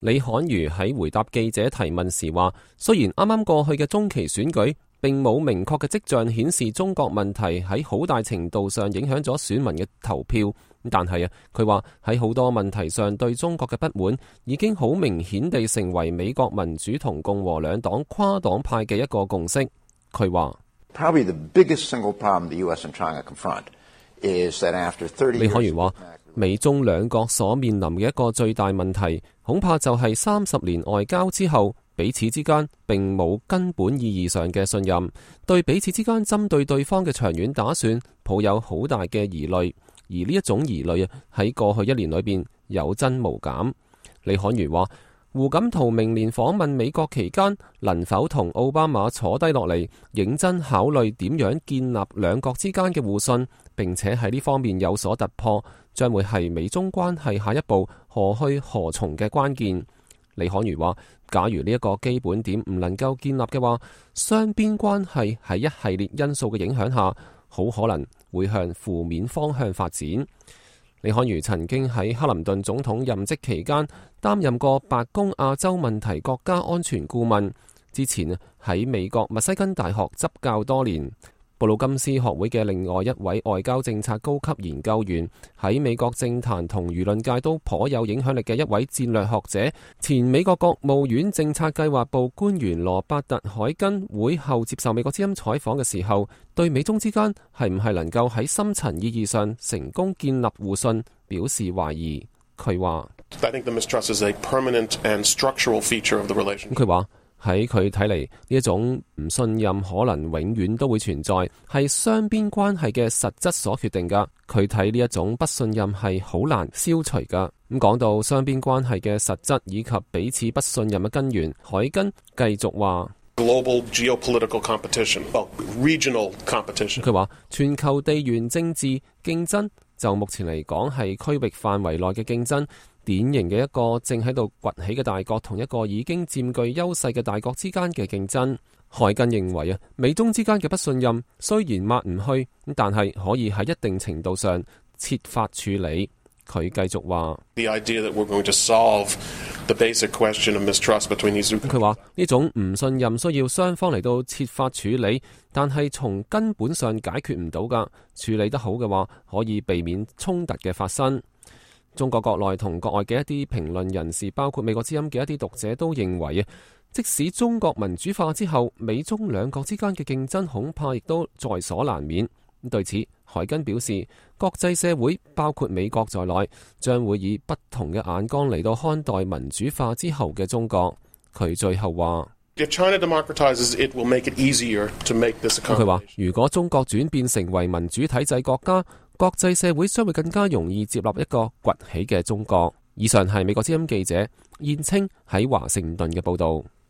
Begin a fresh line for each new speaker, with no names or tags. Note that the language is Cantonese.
李罕瑜喺回答記者提問時話，雖然啱啱過去嘅中期選舉並冇明確嘅跡象顯示中國問題喺好大程度上影響咗選民嘅投票，但係佢話喺好多問題上對中國嘅不滿已經好明顯地成為美國民主同共和兩黨跨黨派嘅一個共識。佢話李罕瑜話，美中兩國所面臨嘅一個最大問題，恐怕就係30年外交之後，彼此之間並冇根本意義上嘅信任，對彼此之間針對對方嘅長遠打算抱有好大嘅疑慮，而呢一種疑慮喺過去1年裏邊有增無減。李罕瑜話，胡錦濤明年訪問美國期間，能否同奧巴馬坐低落嚟，認真考慮點樣建立兩國之間嘅互信，並且喺呢方面有所突破，將會係美中關係下一步何去何從嘅關鍵。李罕瑜話，假如呢一個基本點唔能夠建立嘅話，雙邊關係喺一系列因素嘅影響下，好可能會向負面方向發展。李罕瑜曾經喺克林頓總統任職期間擔任過白宮亞洲問題國家安全顧問，之前喺美國密西根大學執教多年。布魯金斯學會嘅另外一位外交政策高級研究員，喺美國政壇同輿論界都頗有影響力嘅一位戰略學者，前美國國務院政策計劃部官員羅伯特海根會後接受美國之音採訪嘅時候，對美中之間係唔係能夠喺深層意義上成功建立互信表示懷疑。佢話佢話喺佢睇嚟，呢一種唔信任可能永遠都會存在，係雙邊關係嘅實質所決定噶。佢睇呢一種不信任係好難消除噶。咁講到雙邊關係嘅實質以及彼此不信任嘅根源，海根繼續話：Global geopolitical competition, regional competition。佢話全球地緣政治競爭就目前嚟講係區域範圍內嘅競爭。典型嘅一個正喺度崛起嘅大國同一個已經佔據優勢嘅大國之間嘅競爭。海根認為美中之間嘅不信任雖然抹唔去，但係可以喺一定程度上設法處理。佢繼續話：佢話呢種唔信任需要雙方嚟到設法處理，但係從根本上解決唔到㗎。處理得好嘅話，可以避免衝突嘅發生。中國國內同國外嘅一啲評論人士，包括美國之音嘅一啲讀者都認為即使中國民主化之後，美中兩國之間嘅競爭恐怕亦都在所難免。對此，海根表示，國際社會包括美國在內，將會以不同嘅眼光嚟到看待民主化之後嘅中國。佢最後話：佢話如果中國轉變成為民主體制國家，國際社會將會更加容易接納一個崛起嘅中國。以上係美國之音記者燕青喺華盛頓嘅報道。